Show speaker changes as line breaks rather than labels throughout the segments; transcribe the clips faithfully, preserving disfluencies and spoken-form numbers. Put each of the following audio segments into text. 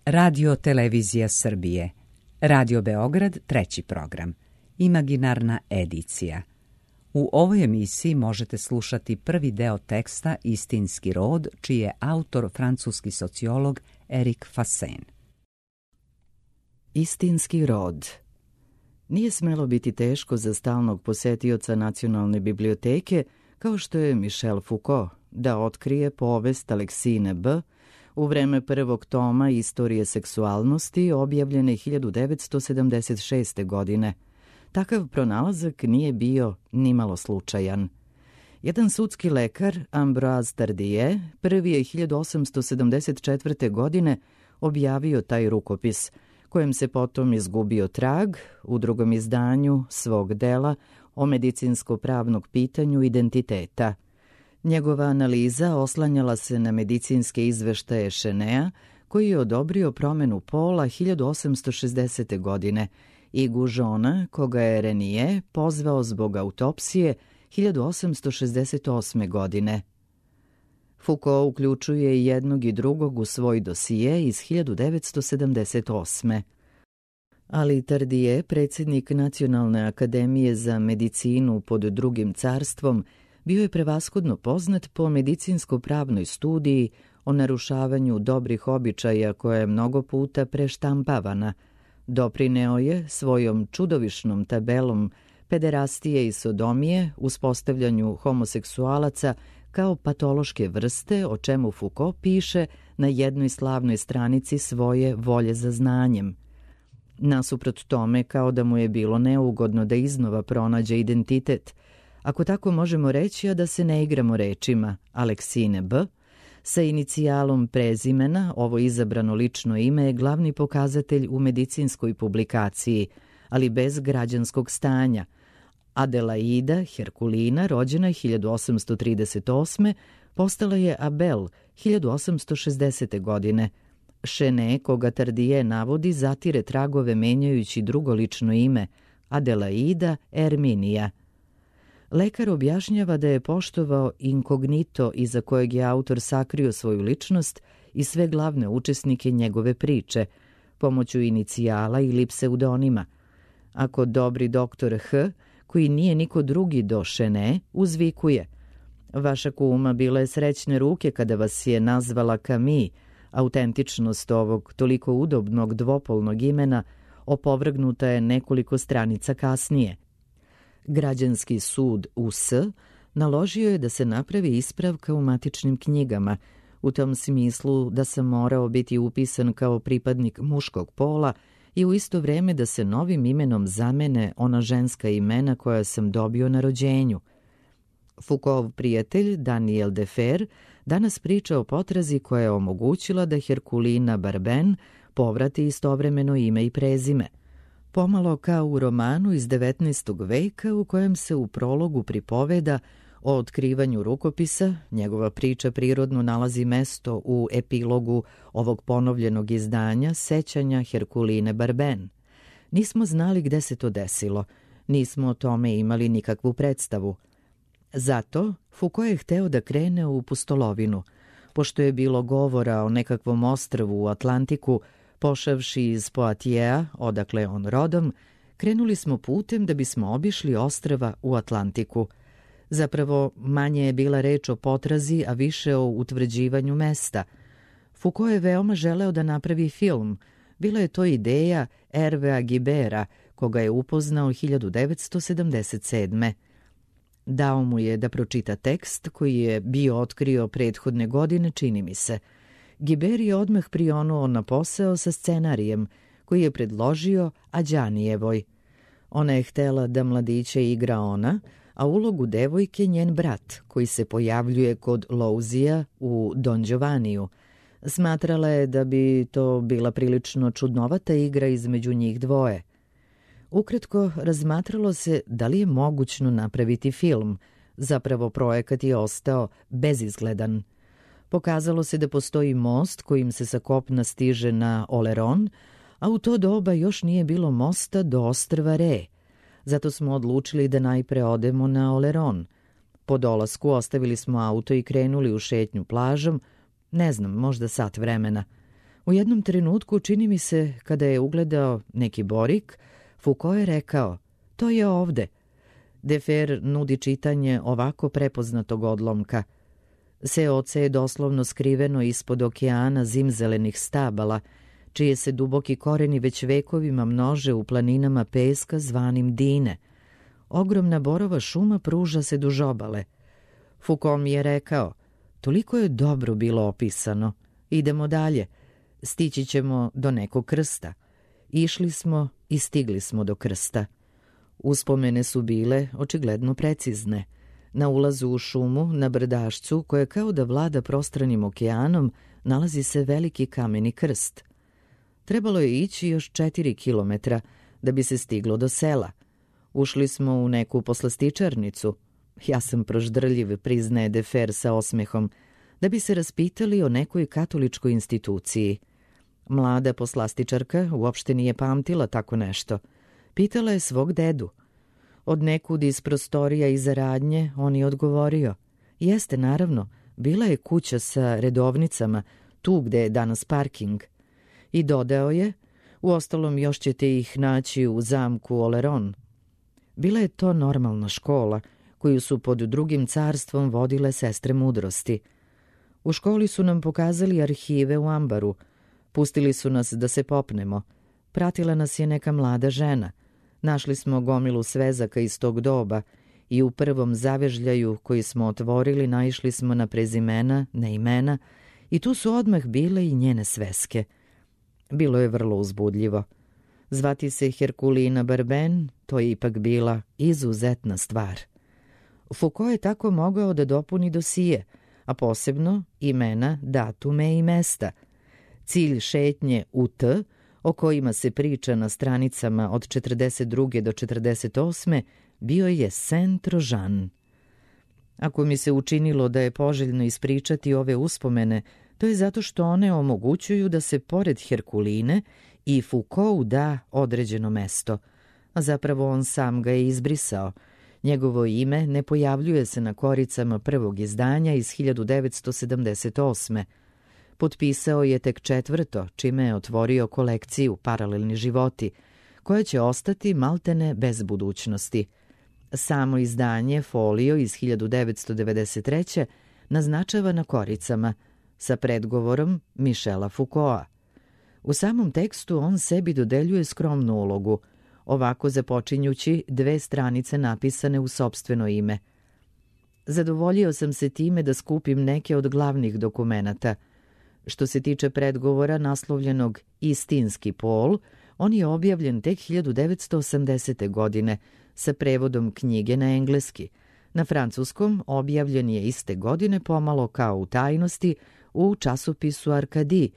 Radio Televizija Srbije, Radio Beograd, treći program, Imaginarna edicija. U ovoj emisiji možete slušati prvi deo teksta Istinski rod, čiji je autor francuski sociolog Erik Fassin.
Istinski rod. Nije smelo biti teško za stalnog posetioca Nacionalne biblioteke, kao što je Michel Foucault, da otkrije povest Aleksine B. u vreme prvog toma Istorije seksualnosti, objavljene hiljadu devetsto sedamdeset šeste. godine. Takav pronalazak nije bio nimalo slučajan. Jedan sudski lekar, Ambroise Tardieu, prvi je hiljadu osamsto sedamdeset četvrte. godine objavio taj rukopis, kojem se potom izgubio trag u drugom izdanju svog dela o medicinsko-pravnog pitanju identiteta. Njegova analiza oslanjala se na medicinske izveštaje Chenea, koji je odobrio promenu pola hiljadu osamsto šezdesete. godine i Goujon'a, koga je Renier pozvao zbog autopsije hiljadu osamsto šezdeset osme. godine. Foucault uključuje i jednog i drugog u svoj dosije iz hiljadu devetsto sedamdeset osme. Ali Tardieu, predsjednik Nacionalne akademije za medicinu pod drugim carstvom, bio je prevashodno poznat po medicinsko-pravnoj studiji o narušavanju dobrih običaja koja je mnogo puta preštampavana. Doprineo je svojom čudovišnom tabelom pederastije i sodomije uspostavljanju homoseksualaca kao patološke vrste, o čemu Foucault piše na jednoj slavnoj stranici svoje Volje za znanjem. Nasuprot tome, kao da mu je bilo neugodno da iznova pronađe identitet, ako tako možemo reći, a da se ne igramo rečima, Aleksine B., sa inicijalom prezimena, ovo izabrano lično ime je glavni pokazatelj u medicinskoj publikaciji, ali bez građanskog stanja. Adelaida Herkulina, rođena hiljadu osamsto trideset osme. postala je Abel hiljadu osamsto šezdesete. godine. Chenea, koga Tardieu navodi, zatire tragove menjajući drugo lično ime, Adelaida Erminija. Lekar objašnjava da je poštovao inkognito iza kojeg je autor sakrio svoju ličnost i sve glavne učesnike njegove priče, pomoću inicijala ili pseudonima. Ako dobri doktor H., koji nije niko drugi do Chenea, uzvikuje: "Vaša kuma bila je srećne ruke kada vas je nazvala Camille", autentičnost ovog toliko udobnog dvopolnog imena opovrgnuta je nekoliko stranica kasnije. Građanski sud U S naložio je da se napravi ispravka u matičnim knjigama, u tom smislu da sam morao biti upisan kao pripadnik muškog pola i u isto vreme da se novim imenom zamene ona ženska imena koja sam dobio na rođenju. Foucaultov prijatelj Daniel Defer danas priča o potrazi koja je omogućila da Herkulina Barben povrati istovremeno ime i prezime. Pomalo kao u romanu iz devetnaestog. veka u kojem se u prologu pripoveda o otkrivanju rukopisa, njegova priča prirodno nalazi mesto u epilogu ovog ponovljenog izdanja Sećanja Herkuline Barben. Nismo znali gde se to desilo, nismo o tome imali nikakvu predstavu. Zato Foucault je hteo da krene u pustolovinu. Pošto je bilo govora o nekakvom ostrvu u Atlantiku, pošavši iz Poatijea, odakle on rodom, krenuli smo putem da bismo obišli ostrva u Atlantiku. Zapravo, manje je bila reč o potrazi, a više o utvrđivanju mesta. Foucault je veoma želeo da napravi film. Bila je to ideja Hervea Guibera, koga je upoznao hiljadu devetsto sedamdeset sedme. Dao mu je da pročita tekst koji je bio otkrio prethodne godine, čini mi se. Guiber je odmah prionuo na posao sa scenarijem koji je predložio Adjanijevoj. Ona je htela da mladiće igra ona, a ulogu devojke njen brat, koji se pojavljuje kod Louzija u Don Giovanniju. Smatrala je da bi to bila prilično čudnovata igra između njih dvoje. Ukratko, razmatralo se da li je mogućno napraviti film. Zapravo projekat je ostao bezizgledan. Pokazalo se da postoji most kojim se sa kopna stiže na Oleron, a u to doba još nije bilo mosta do ostrva Re. Zato smo odlučili da najpre odemo na Oleron. Po dolasku ostavili smo auto i krenuli u šetnju plažom, ne znam, možda sat vremena. U jednom trenutku, čini mi se, kada je ugledao neki borik, Foucault je rekao, to je ovde. Defer nudi čitanje ovako prepoznatog odlomka. Seoce je doslovno skriveno ispod okeana zimzelenih stabala, čije se duboki koreni već vekovima množe u planinama peska zvanim Dine. Ogromna borova šuma pruža se duž obale. Foucault mi je rekao, toliko je dobro bilo opisano. Idemo dalje. Stići ćemo do nekog krsta. Išli smo i stigli smo do krsta. Uspomene su bile očigledno precizne. Na ulazu u šumu, na brdašcu, koje kao da vlada prostranim okeanom, nalazi se veliki kameni krst. Trebalo je ići još četiri kilometra da bi se stiglo do sela. Ušli smo u neku poslastičarnicu. Ja sam proždrljiv, priznaje Defer sa osmehom, da bi se raspitali o nekoj katoličkoj instituciji. Mlada poslastičarka uopšte nije pamtila tako nešto. Pitala je svog dedu. Od nekud iz prostorija iza radnje on je odgovorio. Jeste, naravno, bila je kuća sa redovnicama, tu gde je danas parking. I dodao je, uostalom još ćete ih naći u zamku Oleron. Bila je to normalna škola, koju su pod drugim carstvom vodile sestre mudrosti. U školi su nam pokazali arhive u ambaru. Pustili su nas da se popnemo. Pratila nas je neka mlada žena. Našli smo gomilu svezaka iz tog doba i u prvom zavežljaju koji smo otvorili naišli smo na prezimena, na imena i tu su odmah bile i njene sveske. Bilo je vrlo uzbudljivo. Zvati se Herkulina Barben, to je ipak bila izuzetna stvar. Foucault je tako mogao da dopuni dosije, a posebno imena, datume i mesta. Cilj šetnje u T, o kojima se priča na stranicama od četrdeset druge do četrdeset osme, bio je Saint-Trojan. Ako mi se učinilo da je poželjno ispričati ove uspomene, to je zato što one omogućuju da se pored Herkuline i Foucault da određeno mesto, a zapravo on sam ga je izbrisao. Njegovo ime ne pojavljuje se na koricama prvog izdanja iz hiljadu devetsto sedamdeset osme. Potpisao je tek četvrto, čime je otvorio kolekciju Paralelni životi, koja će ostati maltene bez budućnosti. Samo izdanje Folio iz hiljadu devetsto devedeset treće naznačava na koricama sa predgovorom Michela Foucaulta. U samom tekstu on sebi dodeljuje skromnu ulogu, ovako započinjući dve stranice napisane u sopstveno ime. Zadovoljio sam se time da skupim neke od glavnih dokumenata. Što se tiče predgovora naslovljenog Istinski pol, on je objavljen tek hiljadu devetsto osamdesete. godine sa prevodom knjige na engleski. Na francuskom objavljen je iste godine pomalo kao u tajnosti u časopisu Arkadi,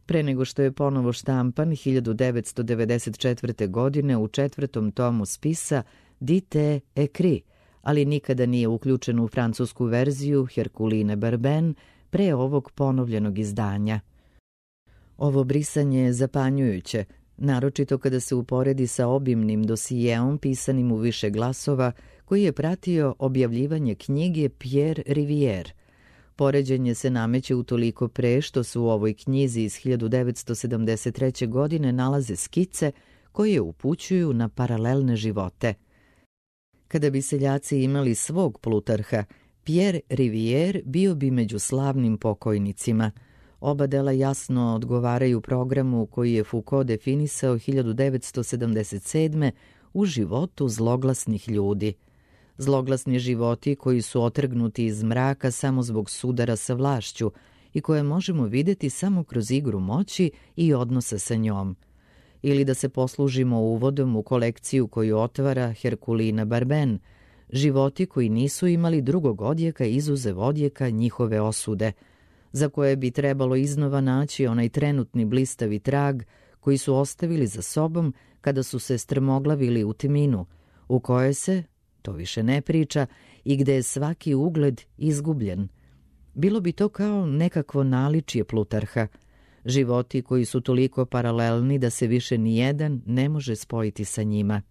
pre nego što je ponovo štampan hiljadu devetsto devedeset četvrte. godine u četvrtom tomu spisa Dite Ekri, ali nikada nije uključen u francusku verziju Herkuline Barben pre ovog ponovljenog izdanja. Ovo brisanje je zapanjujuće, naročito kada se uporedi sa obimnim dosijeom pisanim u više glasova koji je pratio objavljivanje knjige Pierre Rivière. Poređenje se nameće utoliko pre što se u ovoj knjizi iz hiljadu devetsto sedamdeset treće. godine nalaze skice koje upućuju na paralelne živote. Kada bi seljaci imali svog Plutarha, Pierre Rivière bio bi među slavnim pokojnicima. Oba dela jasno odgovaraju programu koji je Foucault definisao hiljadu devetsto sedamdeset sedme. u životu zloglasnih ljudi. Zloglasni životi koji su otrgnuti iz mraka samo zbog sudara sa vlašću i koje možemo videti samo kroz igru moći i odnosa sa njom. Ili da se poslužimo uvodom u kolekciju koju otvara Herkulina Barben, životi koji nisu imali drugog odjeka izuzev odjeka njihove osude, za koje bi trebalo iznova naći onaj trenutni blistavi trag koji su ostavili za sobom kada su se strmoglavili u tminu, u kojoj se, to više ne priča, i gde je svaki ugled izgubljen. Bilo bi to kao nekakvo naličje Plutarha, životi koji su toliko paralelni da se više nijedan ne može spojiti sa njima.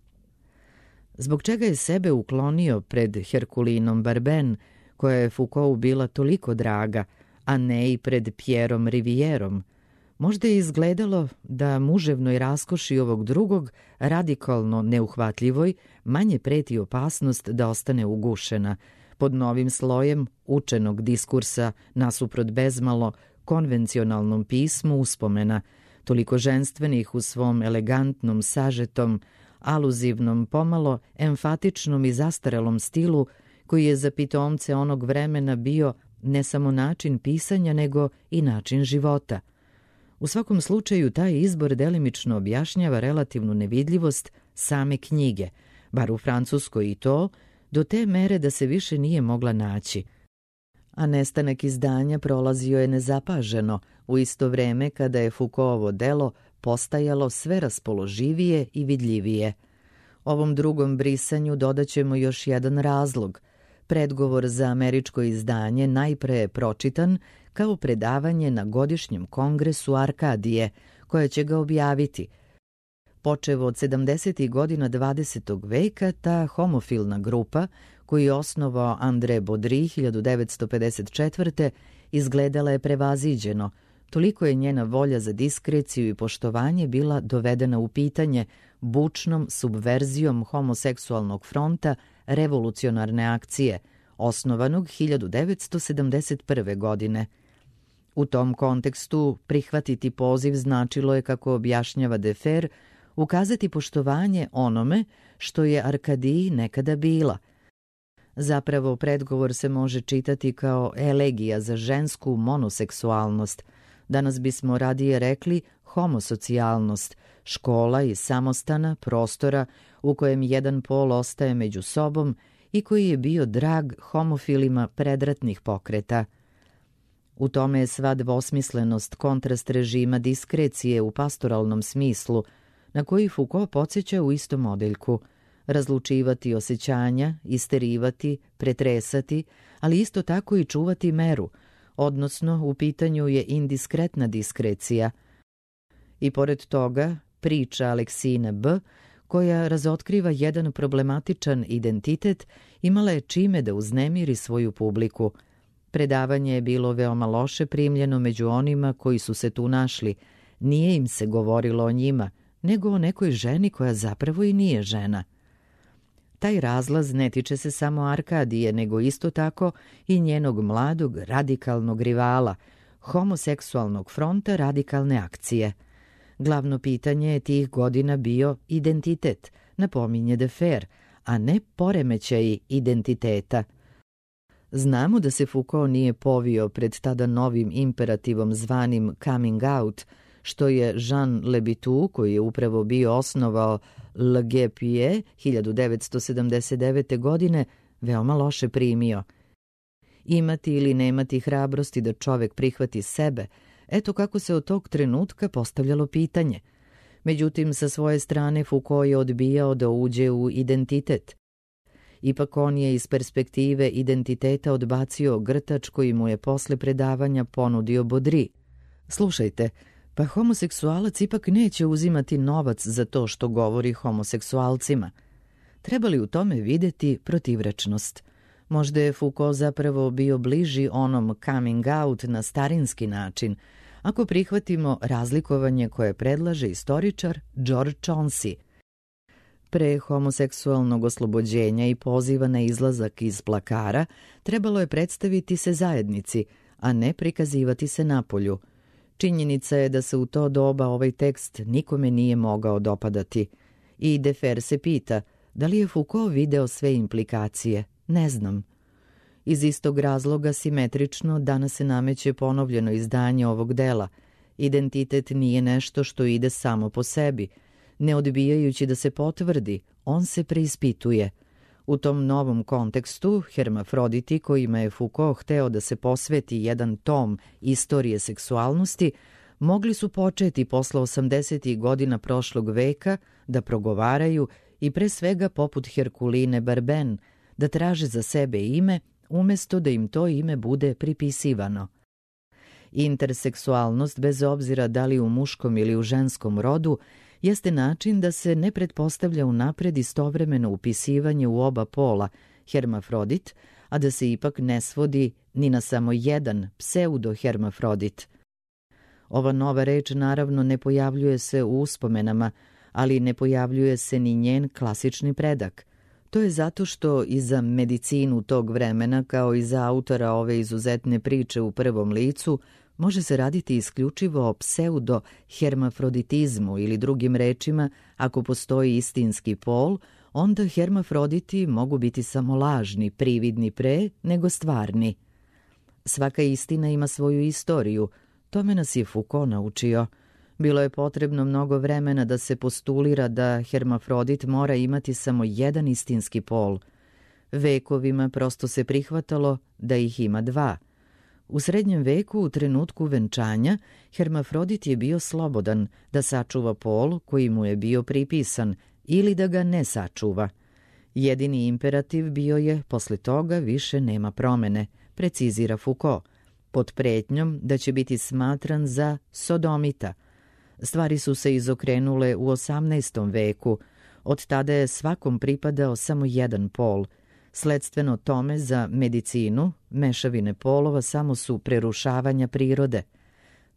Zbog čega je sebe uklonio pred Herkulinom Barben, koja je Foucaultu bila toliko draga, a ne i pred Pierrom Rivierom? Možda je izgledalo da muževnoj raskoši ovog drugog, radikalno neuhvatljivoj, manje preti opasnost da ostane ugušena, pod novim slojem učenog diskursa nasuprot bezmalo konvencionalnom pismu uspomena, toliko ženstvenih u svom elegantnom, sažetom, aluzivnom, pomalo emfatičnom i zastarelom stilu, koji je za pitomce onog vremena bio ne samo način pisanja, nego i način života. U svakom slučaju, taj izbor delimično objašnjava relativnu nevidljivost same knjige, bar u Francuskoj i to, do te mere da se više nije mogla naći. A nestanak izdanja prolazio je nezapaženo, u isto vreme kada je Foucaultovo delo postajalo sve raspoloživije i vidljivije. Ovom drugom brisanju dodaćemo još jedan razlog. Predgovor za američko izdanje najpre je pročitan kao predavanje na godišnjem kongresu Arkadije, koja će ga objaviti. Počev od sedamdesetih godina dvadesetog veka, ta homofilna grupa, koju je osnovao André Baudry hiljadu devetsto pedeset četvrte. izgledala je prevaziđeno, toliko je njena volja za diskreciju i poštovanje bila dovedena u pitanje bučnom subverzijom homoseksualnog fronta revolucionarne akcije, osnovanog hiljadu devetsto sedamdeset prve. godine. U tom kontekstu prihvatiti poziv značilo je, kako objašnjava Defer, ukazati poštovanje onome što je Arkadiji nekada bila. Zapravo, predgovor se može čitati kao elegija za žensku monoseksualnost. Danas bismo radije rekli homosocijalnost, škola i samostana, prostora u kojem jedan pol ostaje među sobom i koji je bio drag homofilima predratnih pokreta. U tome je sva dvosmislenost, kontrast režima diskrecije u pastoralnom smislu, na koji Foucault podsjeća u istom odeljku. Razlučivati osjećanja, isterivati, pretresati, ali isto tako i čuvati meru, odnosno u pitanju je indiskretna diskrecija. I pored toga, priča Aleksine B., koja razotkriva jedan problematičan identitet, imala je čime da uznemiri svoju publiku. Predavanje je bilo veoma loše primljeno među onima koji su se tu našli. Nije im se govorilo o njima, nego o nekoj ženi koja zapravo i nije žena. Taj razlaz ne tiče se samo Arkadije, nego isto tako i njenog mladog radikalnog rivala, homoseksualnog fronta radikalne akcije. Glavno pitanje je tih godina bio identitet, napominje Defer, a ne poremećaj identiteta. Znamo da se Foucault nije povio pred tada novim imperativom zvanim coming out, što je Jean Lebitu, koji je upravo bio osnovao Le Guépier hiljadu devetsto sedamdeset devete. godine, veoma loše primio. Imati ili nemati hrabrosti da čovek prihvati sebe, eto kako se od tog trenutka postavljalo pitanje. Međutim, sa svoje strane Foucault je odbijao da uđe u identitet. Ipak on je iz perspektive identiteta odbacio grtač koji mu je posle predavanja ponudio Baudry. Slušajte, pa homoseksualac ipak neće uzimati novac za to što govori homoseksualcima. Treba li u tome videti protivrečnost? Možda je Foucault zapravo bio bliži onom coming out na starinski način, ako prihvatimo razlikovanje koje predlaže istoričar George Chauncey. Pre homoseksualnog oslobođenja i poziva na izlazak iz plakara trebalo je predstaviti se zajednici, a ne prikazivati se napolju. Činjenica je da se u to doba ovaj tekst nikome nije mogao dopadati. I Defer se pita, da li je Foucault video sve implikacije? Ne znam. Iz istog razloga simetrično danas se nameće ponovljeno izdanje ovog dela. Identitet nije nešto što ide samo po sebi. Ne odbijajući da se potvrdi, on se preispituje. U tom novom kontekstu, hermafroditi kojima je Foucault hteo da se posveti jedan tom istorije seksualnosti, mogli su početi posle osamdesetih godina prošlog veka da progovaraju i pre svega poput Herkuline Barben, da traže za sebe ime umesto da im to ime bude pripisivano. Interseksualnost, bez obzira da li u muškom ili u ženskom rodu, jeste način da se ne pretpostavlja unapred istovremeno upisivanje u oba pola, hermafrodit, a da se ipak ne svodi ni na samo jedan pseudo-hermafrodit. Ova nova reč naravno ne pojavljuje se u uspomenama, ali ne pojavljuje se ni njen klasični predak. To je zato što i za medicinu tog vremena, kao i za autora ove izuzetne priče u prvom licu, može se raditi isključivo o pseudo-hermafroditizmu ili drugim rečima, ako postoji istinski pol, onda hermafroditi mogu biti samo lažni, prividni pre nego stvarni. Svaka istina ima svoju istoriju, tome nas je Foucault naučio. Bilo je potrebno mnogo vremena da se postulira da hermafrodit mora imati samo jedan istinski pol. Vekovima prosto se prihvatalo da ih ima dva. U srednjem veku, u trenutku venčanja, hermafrodit je bio slobodan da sačuva pol koji mu je bio pripisan ili da ga ne sačuva. Jedini imperativ bio je posle toga više nema promene, precizira Foucault, pod pretnjom da će biti smatran za sodomita. Stvari su se izokrenule u osamnaestom veku. Od tada je svakom pripadao samo jedan pol. Sledstveno tome za medicinu, mešavine polova samo su prerušavanja prirode.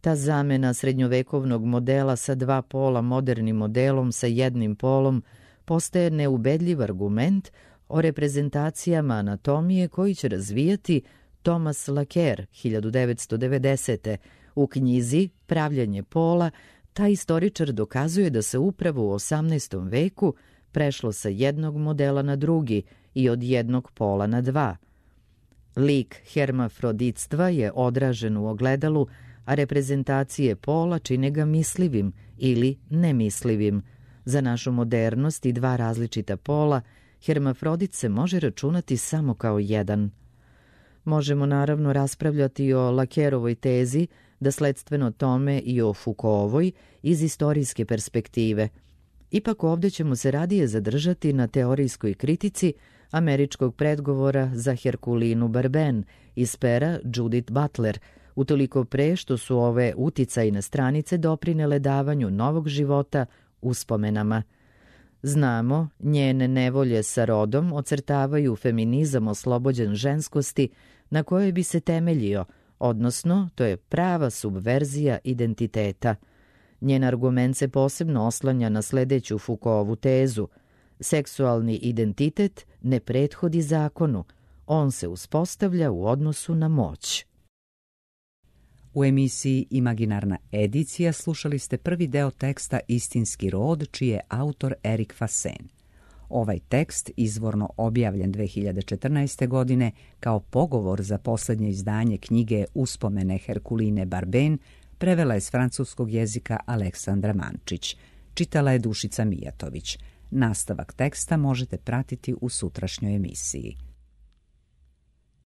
Ta zamena srednjovekovnog modela sa dva pola modernim modelom sa jednim polom postaje neubedljiv argument o reprezentacijama anatomije koji će razvijati Thomas Laqueur hiljadu devetsto devedesete. U knjizi Pravljenje pola taj istoričar dokazuje da se upravo u osamnaestom veku prešlo sa jednog modela na drugi i od jednog pola na dva. Lik hermafroditstva je odražen u ogledalu, a reprezentacije pola čine ga mislivim ili nemislivim. Za našu modernost i dva različita pola, hermafrodit se može računati samo kao jedan. Možemo naravno raspravljati o Laqueurovoj tezi, da sledstveno tome i o Foucaultovoj iz istorijske perspektive. Ipak ovdje ćemo se radije zadržati na teorijskoj kritici američkog predgovora za Herkulinu Barben iz pera Judith Butler, utoliko pre što su ove uticajne stranice doprinele davanju novog života uspomenama. Znamo, njene nevolje sa rodom ocrtavaju feminizam oslobođen ženskosti na kojoj bi se temeljio, odnosno to je prava subverzija identiteta. Njen argument se posebno oslanja na sledeću Foucaultovu tezu. Seksualni identitet ne prethodi zakonu, on se uspostavlja u odnosu na moć.
U emisiji Imaginarna edicija slušali ste prvi deo teksta Istinski rod, čiji je autor Erik Fasen. Ovaj tekst, izvorno objavljen dve hiljade četrnaeste. godine kao pogovor za posljednje izdanje knjige Uspomene Herkuline Barben, prevela je s francuskog jezika Aleksandra Mančić. Čitala je Dušica Mijatović. Nastavak teksta možete pratiti u sutrašnjoj emisiji.